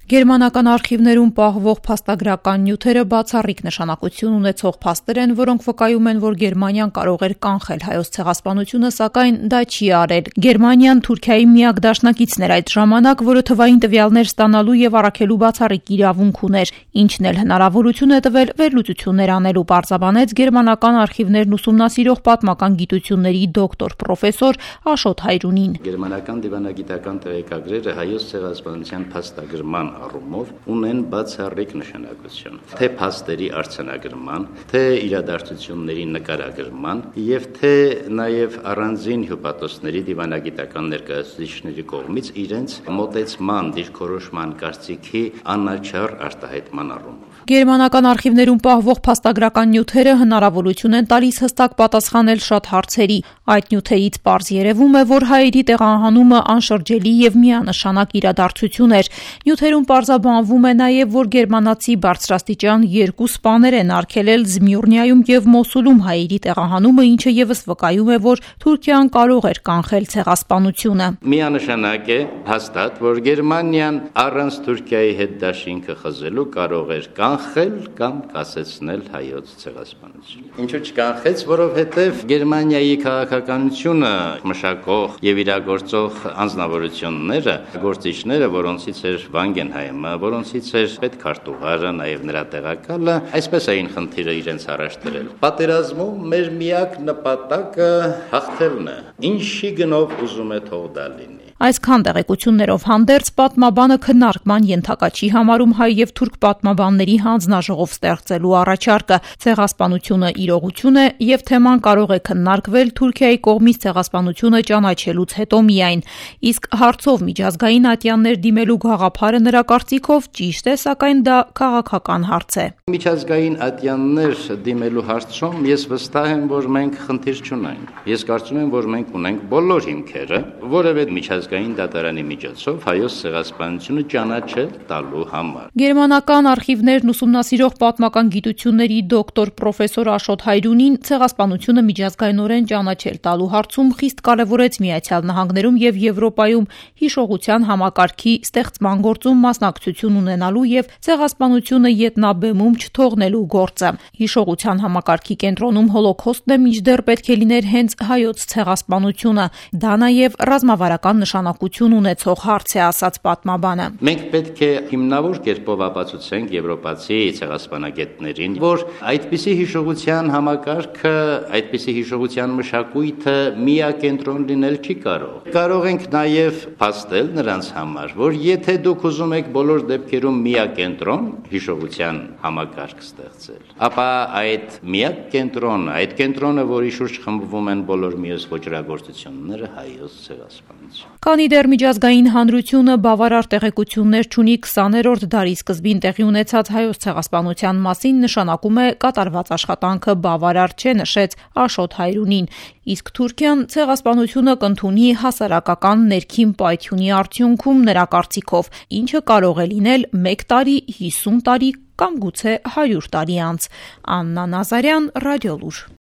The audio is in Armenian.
Գերմանական արխիվներում պահվող փաստագրական նյութերը բացառիկ նշանակություն ունեցող փաստեր են, որոնք վկայում են, որ Գերմանիան կարող էր կանխել հայոց ցեղասպանությունը, սակայն դա չի արել։ Գերմանիան Թուրքիայի միակ դաշնակիցն էր այդ ժամանակ, որը թվային տվյալներ ստանալու եւ առաքելու բացառիկ իրավունք ուներ, ինչն էլ հնարավորություն է տվել վերլուծություններ անելու, պարզաբանեց գերմանական արխիվներն ուսումնասիրող պատմական գիտությունների դոկտոր պրոֆեսոր Աշոտ Հայրունին։ Գերմանական դիվանագիտական տեղեկագրերը հայոց ցեղասպանության փաստագրման առումով ունեն բացառիկ նշանակություն, թե փաստերի արձանագրման, թե իրադարձությունների նկարագրման եւ թե նաեւ առանձին հյուպատոսների դիվանագիտական ներկայացուցիչների կողմից իրենց մոտեցման, դիրքորոշման, կարծիքի անաչառ արտահայտման առումով։ Գերմանական արխիվներում պահվող փաստագրական նյութերը հնարավորություն են տալիս հստակ պատասխանել շատ հարցերի։ Այդ նյութերից պարզ երևում է, որ հայերի տեղահանումը անշրջելի եւ միանշանակ իրադարձություն էր։ Նյութերում պարզաբանվում է նաև, որ գերմանացի բարձրաստիճան երկու սպաներ են արգելել Զմյուրնիայում եւ Մոսուլում հայերի տեղահանումը, ինչը եւս վկայում է, որ Թուրքիան կարող էր կանխել ցեղասպանությունը։ Միանշանակ է հաստատ, որ Գերմանիան առանց Թուրքիայի հետ դաշինքը խզելու կարող էր կանխել կամ կասեցնել հայոց ցեղասպանությունը։ Ինչու չկանխեց, որովհետև Գերմանիայի քաղաքականությունը մշակող եւ իրագործող անձնավորությունները, գործիչները, որոնցից էր Վանգենհայմը, որոնցից էր պետքարտուղարը, նաեւ նրա տեղակալը, այսպես էին խնդիրը իրենց առաջ դրել։ Պատերազմում մեր միակ նպատակը հաղթելն է։ Ինչի գնով ուզում է թող դա լինի։ Այսքան տեղեկություններով հանդերձ պատմաբանը քննարկման ենթակա չի համարում հայ եւ թուրք պատմաբանների հանձնաժողով ստեղծելու առաջարկը։ Ցեղասպանությունը իրողություն է եւ թեման կարող է քննարկվել Թուրքիայի կողմից ցեղասպանությունը ճանաչելուց հետո միայն։ Իսկ հարցով միջազգային ատյաններ դիմելու գաղափարը նրա կարծիքով ճիշտ է, սակայն դա քաղաքական հարց է։ Միջազգային ատյաններ դիմելու հարցում ես վստահ եմ, որ մենք խնդիր չունենք։ Ես կարծում եմ, որ մենք ունենք բոլոր հիմքերը, որևէ միջազգային դատարանի միջոցով հայոց ցեղասպանությունը ճանաչել տալու համար։ Գերմանական արխիվներն ուսումնասիրող պատմական գիտությունների դոկտոր պրոֆեսոր Աշոտ Հայրունին ցեղասպանությունը միջազգայինորեն ճանաչել տալու հարցում խիստ կարևորեց Միացյալ Նահանգներում եւ Եվրոպայում հիշողության համակարգի ստեղծման գործում մասնակցություն ունենալու եւ ցեղասպանությունը ետնաբեմում չթողնելու գործը։ Հիշողության համակարգի կենտրոնում հոլոքոստն է, մինչդեռ պետք է լիներ հենց հայոց ցեղասպանությունը։ Դա նաեւ ռազմավարական նշանակություն ունեցող հարց է, ասաց պատմաբանը։ Մենք պետք է հիմնավոր կերպով ապացուցենք եվրոպացի ցեղասպանագետներին, որ այդպիսի հիշողության համակարգը, այդպիսի հիշողության մշակույթը միակենտրոն լինել չի կարող։ Կարող ենք նաեւ փաստել նրանց համար, որ եթե դուք ուզում եք բոլոր դեպքերում միակենտրոն հիշողության համակարգ ստեղծել, ապա այդ միակ կենտրոնը, այդ կենտրոնը, որի շուրջ խմբվում են բոլոր մյուս ոճրագործությունները, հայոց ցեղասպանություն։ Քանի դեռ միջազգային հանրությունը բավարար տեղեկություններ չունի 20-րդ դարի սկզբին տեղի ունեցած հայոց ցեղասպանության մասին, նշանակում է կատարված աշխատանքը բավարար չէ, նշեց Աշոտ Հայրունին։ Իսկ Թուրքիան ցեղասպանությունը կընդունի հասարակական ներքին պայթյունի արդյունքում նրա կարծիքով, ինչը կարող է լինել 1 տարի, 50 տարի կամ գուցե 100 տարի անց։ Աննա Նազարյան, Ռադիոլուր։